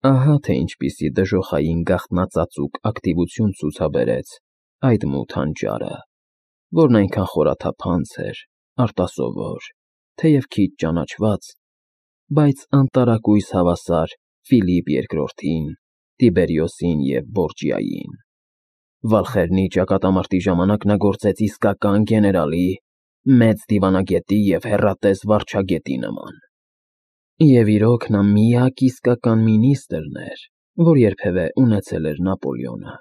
Ահա թե ինչպիսի դժոխային գաղտնածածուկ ակտիվություն ցուցաբերեց այդ մութ հանճարը, որն այնքան խորաթափանց էր, արտասովոր, թեև քիչ ճանաչված, բայց անտարակույս հավասար Ֆիլիպ II-ին, Տիբերիոսին և Բորջիային։ Վալխերնի ճակատամարտի ժամանակ նա գործեց իսկական գեներալի, մեծ դիվանագետի և հեռատես վարչագետի նման։ Եվ իրոք նա միակ իսկական մինիստրն էր, որ երբևէ ունեցել էր Նապոլեոնը։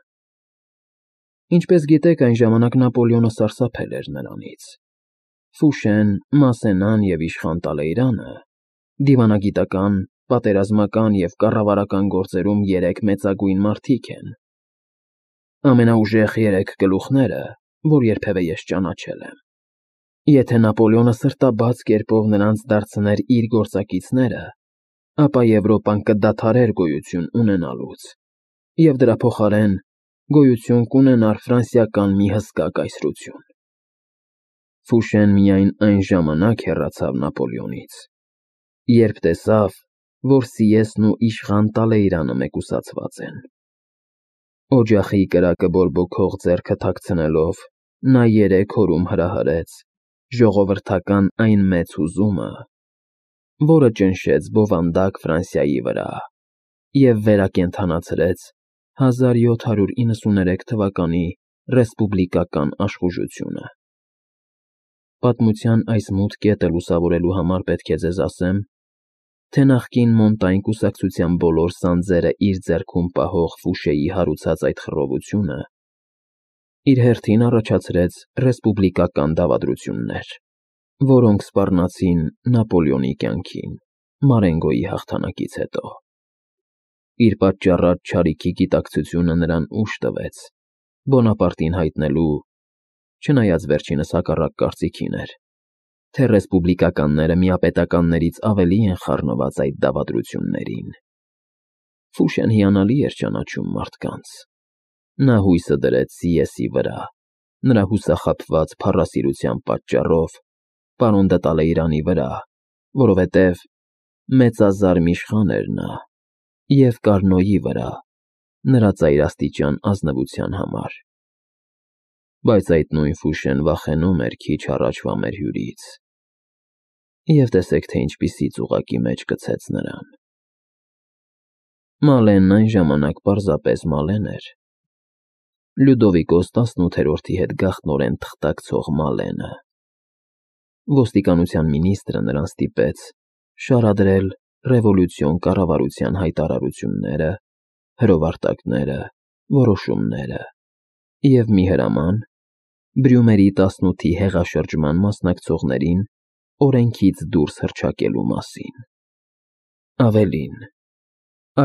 Ինչպես գիտեք, այն ժամանակ Նապոլեոնը սարսափել էր նրանից։ Ֆուշեն, Մասենան և իշխան Տալեյրանը դիվանագիտական, պատերազմական և կառավարական գործերում երեք մեծագույն մարդիկ են։ Ամենաուժեղ երեք գլուխները, որ երբևէ ես ճանաչել եմ։ Եթե Նապոլեոնը սրտաբաց կերպով նրանց դարձներ իր գործակիցները, ապա Եվրոպան կդադարեր գոյություն ունենալուց, և դրա փոխարեն գոյություն կունենար ֆրանսիական մի հսկա կայսրություն։ Ֆուշեն միայն այն ժամանակ հեռացավ Նապոլեոնից, երբ տեսավ, որ Սիեսն ու իշխան Տալեյրանը մեկուսացված են։ Օջախի կրակը բորբոքող ձեռքը թաքցնելով, նա 3 օրում հրահրեց ժողովրդական այն մեծ հուզումը, որը ճնշեց բովանդակ Ֆրանսիայի վրա և վերակենդանացրեց 1793 թվականի ռեսպուբլիկական աշխուժությունը։ Պատմության այս մութ կետը լուսավորելու համար պետք է ձեզ ասեմ, թե նախկին Մոնտայն կուսակցության բոլոր սանձերը իր ձեռքում պահող Ֆուշեի հարուցած այդ խռովությունը իր հերթին առաջացրեց ռեսպուբլիկական դավադրություններ, որոնք սպառնացին Նապոլեոնի կյանքին Մարենգոյի հաղթանակից հետո։ Իր պատճառած չարիքի գիտակցությունը նրան ուժ տվեց Բոնապարտին հայտնելու, չնայած վերջինս հակառակ կարծիքին էր, թե ռեսպուբլիկականները միապետականներից ավելի են խառնված այդ դավադրություններին։ Ֆուշեն հիանալի էր ճանաչում մարդկանց։ Նա հույսը դրեց Սիեսի վրա, նրա հուսախաբված փառասիրության պատճառով պարոն դը Տալեյրանի վրա, որովհետև մեծազարմ իշխան էր նա, և Կարնոյի վրա, նրա ծայրաստիճան ազնվության համար։ Բայց այդ նույն Ֆուշեն վախենում էր քիչ առաջվա մեր հյուրից։ Եվ տեսեք, թե ինչպիսի ծուղակի մեջ գցեց նրան։ Մալենն այն ժամանակ պարզապես Մալեն էր։ Լյուդովիկոս 18-ի հետ գաղտնորեն թղթակցող Մալենը։ Ոստիկանության մինիստրը նրան ստիպեց շարադրել ռևոլյուցիոն կառավարության հայտարարությունները, հրովարտակները, որոշումները և մի հրաման Բրյումերի 18-ի հեղաշրջման մասնակցողներին օրենքից դուրս հռչակելու մասին։ Ավելին,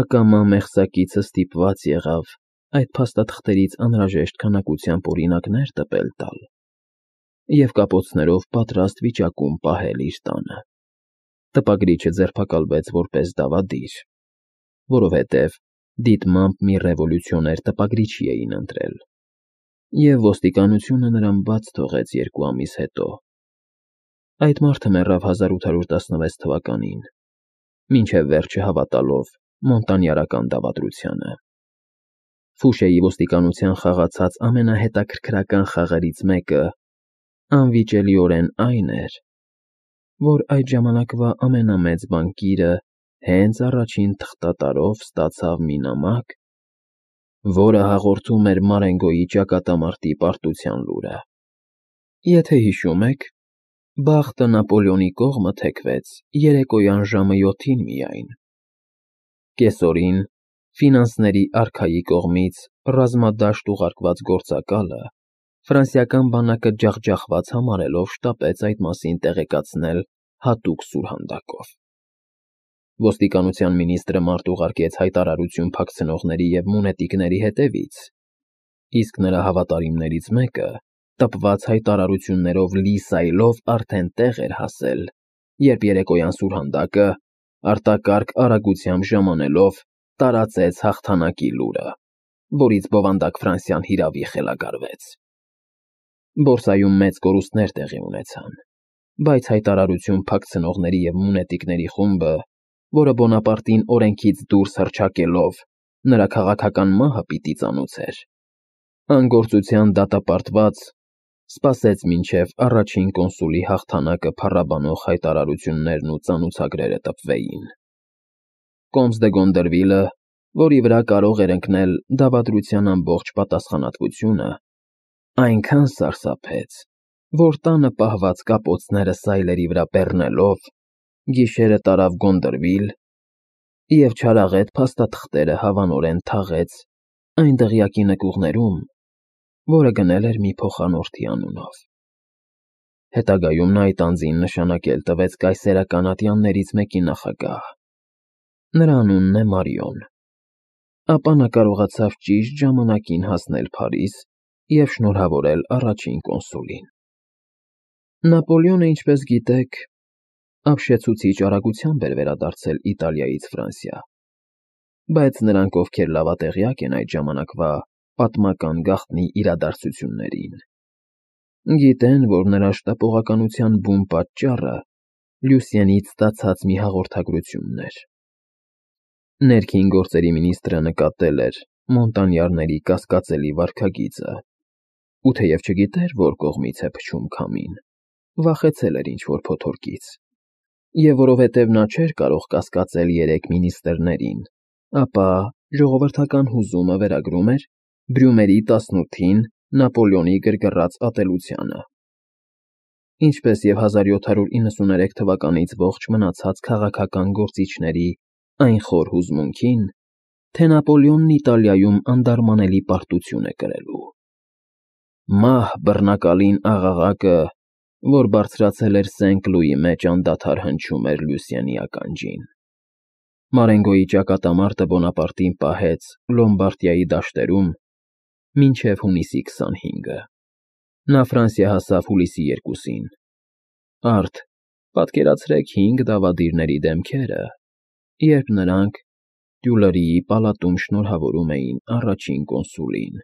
ակամա մեղսակիցը ստիպված եղավ այդ փաստաթղթերից անհրաժեշտ քանակությամբ օրինակներ տպել տալ և կապոցներով պատրաստ վիճակում պահել իր տանը։ Տպագրիչը ձերբակալվեց որպես դավադիր, որովհետև դիտմամբ մի ռևոլյուցիոներ տպագրիչի էին ընտրել, և ոստիկանությունը նրան բաց թողեց 2 ամիս հետո։ Այդ մարդը մեռավ 1816 թվականին, մինչև վերջը հավատալով մոնտանյարական դավադրությանը։ Ֆուշեի ոստիկանության խաղացած ամենահետաքրքրական խաղերից մեկը անվիճելիորեն այն էր, որ այդ ժամանակվա ամենամեծ բանկիրը հենց առաջին թղթատարով ստացավ մի նամակ, որը հաղորդում էր Մարենգոյի ճակատամարտի պարտության լուրը։ Եթե հիշում եք, բախտը Նապոլեոնի կողմը թեքվեց երեկոյան ժամը 7-ին միայն։ Կեսօրին ֆինանսների արքայի կողմից ռազմադաշտ ուղարկված գործակալը ֆրանսիական բանակը ջախջախված համարելով շտապեց այդ մասին տեղեկացնել հատուկ սուրհանդակով։ Ոստիկանության մինիստրը մարդ ուղարկեց հայտարարություն փակցնողների և մունետիկների հետևից, իսկ նրա հավատարիմներից մեկը տպված հայտարարություններով լի սայլով արդեն տեղ էր հասել, երբ երեկոյան սուրհանդակը, արտակարգ արագությամբ ժամանելով, տարածեց հաղթանակի լուրը, որից բովանդակ Ֆրանսիան հիրավի խելագարվեց։ Բորսայում մեծ կորուստներ տեղի ունեցան, բայց հայտարարություն փակցնողների և մունետիկների խումբը որը Բոնապարտին օրենքից դուրս հռչակելով նրա քաղաքական մահը պիտի ծանուցեր, անգործության դատապարտված, սպասեց մինչև առաջին կոնսուլի հաղթանակը փառաբանող հայտարարություններն ու ծանուցագրերը տպվեին։ Կոմս դե Գոնդերվիլը, որի վրա կարող էր ընկնել դավադրության ամբողջ պատասխանատվությունը, այնքան սարսափեց, որ տանը պահված կապոցները սայլերի վրա բեռնելով, գիշերը տարավ Գոնդերվիլ և չարաղետ փաստաթղթերը հավանորեն թաղեց այն դղյակի նկուղներում, որը գնել էր մի փոխանորդի անունով։ Հետագայում նա այդ անձին նշանակել տվեց կայսերական ատյաններից մեկի նախագահ։ Նրա անունն է Մարիոն։ Ապա նա կարողացավ ճիշտ ժամանակին հասնել Փարիզ և շնորհավորել առաջին կոնսուլին։ Նապոլեոնը, ինչպես գիտեք, ապշեցուցիչ արագությամբ էր վերադարձել Իտալիայից Ֆրանսիա, բայց նրանք, ովքեր լավատեղյակ են այդ ժամանակվա պատմական գաղտնի իրադարձություններին, գիտեն, որ նրա շտապողականության բուն պատճառը Լյուսիենից ստացած մի հաղորդագրությունն էր։ Ներքին գործերի մինիստրը նկատել էր Մոնտանյարների կասկածելի վարքագիծը, ու թեև չգիտեր, որ կողմից է փչում քամին, վախեցել էր ինչ-որ փոթորկից, և որովհետև նա չէր կարող կասկածել երեք մինիստրներին, ապա ժողովրդական հուզումը վերագրում էր Բրյումերի 18-ին Նապոլեոնի գրգռած ատելությանը, ինչպես և 1793 թվականից ողջ մնացած քաղաքական գործիչների այն խոր հուզմունքին, թե Նապոլեոնն Իտալիայում անդարմանելի պարտություն է կրելու։ Մահ բռնակալին աղաղակը, որ բարձրացել էր Սենք Լուի մեջ, անդադար հնչում էր Լյուսիենի ականջին։ Մարենգոյի ճակատամարտը Բոնապարտին պահեց Լոմբարդիայի դաշտերում մինչև հունիսի 25-ը։ Նա Ֆրանսիա հասավ հուլիսի 2-ին։ Արդ պատկերացրեք 5 դավադիրների դեմքերը, երբ նրանք Տյուլերիի պալատում շնորհավորում էին առաջին կոնսուլին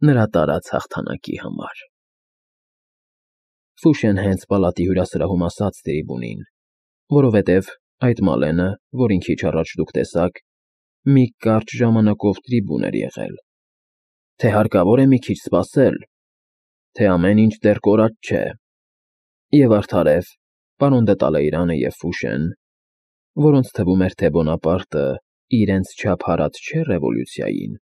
նրա տարած հաղթանակի համար։ Ֆուշեն հենց պալատի հյուրասրահում ասաց Տրիբունին, որովհետև այդ Մալենը, որին քիչ առաջ դուք տեսաք, մի կարճ ժամանակով տրիբուն էր եղել, թե հարկավոր է մի քիչ սպասել, թե ամեն ինչ դեռ կորած չէ, և արդարև պարոն դե Տալեյրանը և Ֆուշեն, որոնց թվում էր, թե Բոնապարտը իրենց չափ հարած չէ ռևոլյուցիային,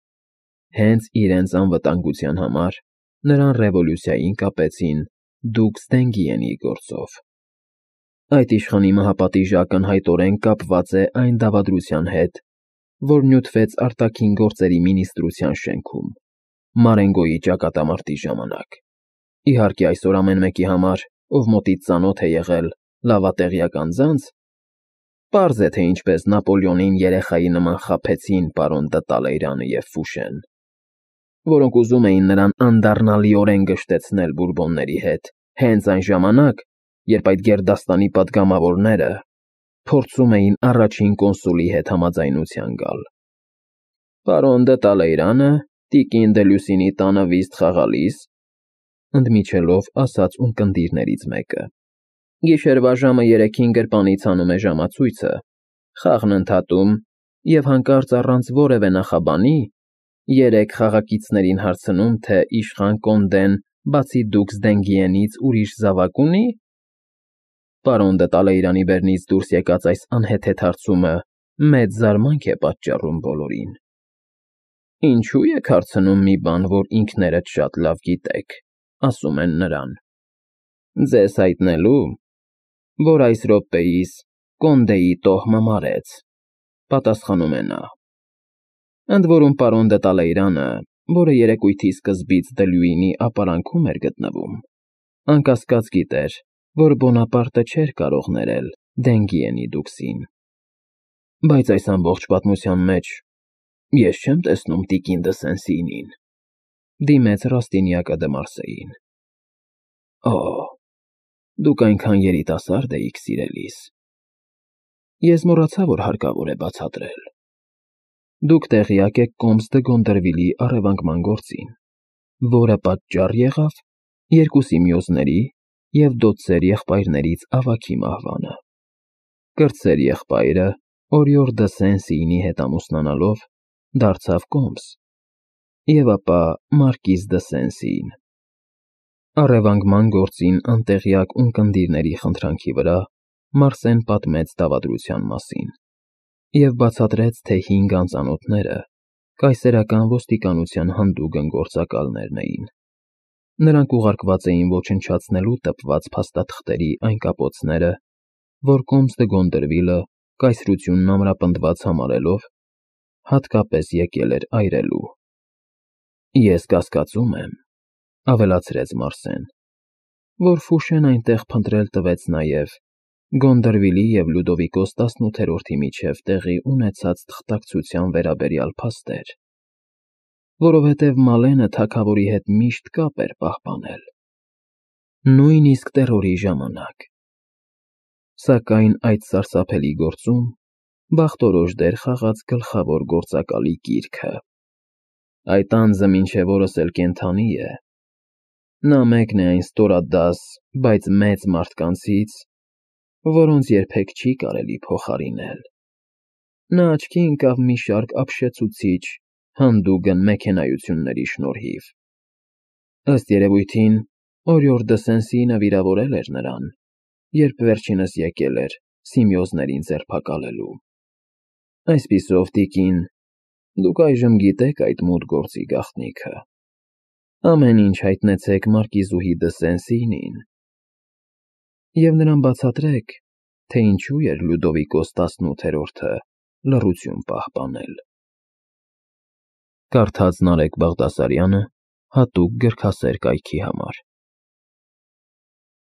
հենց իրենց անվտանգության համար նրան ռևոլյուցիային կապեցին դուքս Դենգիենի գործով։ Այդ իշխանի մահապատիժը ակնհայտորեն կապված է այն դավադրության հետ, որ նյութվեց արտաքին գործերի մինիստրության շենքում Մարենգոյի ճակատամարտի ժամանակ։ Իհարկե, այսօր ամեն մեկի համար, ով մոտից ծանոթ է եղել լավատեղյակ անձանց, պարզ է, թե ինչպես Նապոլեոնին երեխայի նման խաբեցին պարոն դը Տալեյրանը և Ֆուշեն, որոնք ուզում էին նրան անդառնալիորեն գժտեցնել բուրբոնների հետ, հենց այն ժամանակ, երբ այդ գերդաստանի պատգամավորները փորձում էին առաջին կոնսուլի հետ համաձայնության գալ։ Պարոն դը Տալեյրանը տիկին դե Լյուսինի տանը վիզտ խաղալիս, ընդմիջելով ասաց ունկնդիրներից մեկը, գիշերվա ժամը 3-ին գրպանից հանում է ժամացույցը, խաղն ընդհատում և հանկարծ առանց որևէ նախաբանի 3 խաղակիցներին հարցնում, թե իշխան Կոնդեն բացի դուքս Դենգիենից ուրիշ զավակ ունի։ Պարոն դը Տալեյրանի բեռնից դուրս եկած այս անհեթեթ հարցումը մեծ զարմանք է պատճառում բոլորին։ Ինչու եք հարցնում մի բան, որ ինքներդ շատ լավ գիտեք, ասում են նրան։ Ձեզ հայտնելու, որ այս րոպեիս Կոնդեի տոհմը մարեց, պատասխանում է նա։ Ընդ որում պարոն դը Տալեյրանը, որը երեկույթի սկզբից Դլյուինի ապարանքում էր գտնվում, անկասկած գիտեր, որ Բոնապարտը չէր կարող ներել Դենգիենի դուքսին։ Բայց այս ամբողջ պատմության մեջ ես չեմ տեսնում տիկին դը Սեն֊Սինին, դիմեց Ռաստինյակը դը Մարսեին։ Օ, դուք այնքան երիտասարդ էիք, սիրելիս։ Ես մոռացա, որ հարկավոր է բացատրել։ Դուք տեղյակ եք Կոմս դը Գոնդերվիլի առևանգման գործին, որը պատճառ եղավ 2 սիմիոզների և դոցեր եղբայրներից ավագի մահվանը։ Կրտսեր եղբայրը, Օրիոր դը Սեն-Սիինի հետ ամուսնանալով, դարձավ կոմս, և ապա մարկիզ դը Սեն-Սիին։ Առևանգման գործին անտեղյակ ունկնդիրների խնդրանքի վրա Մարսեն պատմեց դավադրության մասին և բացատրեց, թե 5 անծանոթները կայսերական ոստիկանության հանդուգն գործակալներն էին։ Նրանք ուղարկված էին ոչնչացնելու տպված փաստաթղթերի այն կապոցները, որ կոմս դը Գոնդրվիլը կայսրությունն ամրապնդված համարելով, հատկապես եկել էր այրելու։ «Ես կասկածում եմ,» ավելացրեց Մարսեն, «որ Ֆուշեն այնտեղ փնտրել տվեց նաև Գոնդրվիլի և Լյուդովիկոս 18-րդի միջև տեղի ունեցած թղթակցության վերաբերյալ փաստեր, որովհետև Մալենը թագավորի հետ միշտ կապ էր պահպանել, նույնիսկ տերորի ժամանակ։ Սակայն այդ սարսափելի գործում բախտորոշ դեր խաղաց գլխավոր գործակալի կիրքը։ Այդ անձը մինչև օրս էլ կենդանի է։ Նա մեկն է այն ստորադաս, բայց մեծ մարդկանցից, որոնց երբեք չի կարելի փոխարինել։ Նա աչքի ընկավ մի շարք ապշեցուցիչ, հանդուգն մեքենայությունների շնորհիվ։ Ըստ երևույթին, Օրիոր դը Սեն-Սիինը վիրավորել էր նրան, երբ վերջինս եկել էր Սիմեոզներին ձերբակալելու։ Այսպիսով, տիկին, դուք այժմ գիտեք այդ մութ գործի գաղտնիքը։ Ամեն ինչ հայտնեցեք մարկիզուհի դը Սեն-Սիինին և նրան բացատրեք, թե ինչու էր Լյուդովիկոս 18-րդը լռություն պահպանել։ Կարդաց Նարեկ Բաղդասարյանը հատուկ գրքասեր կայքի համար։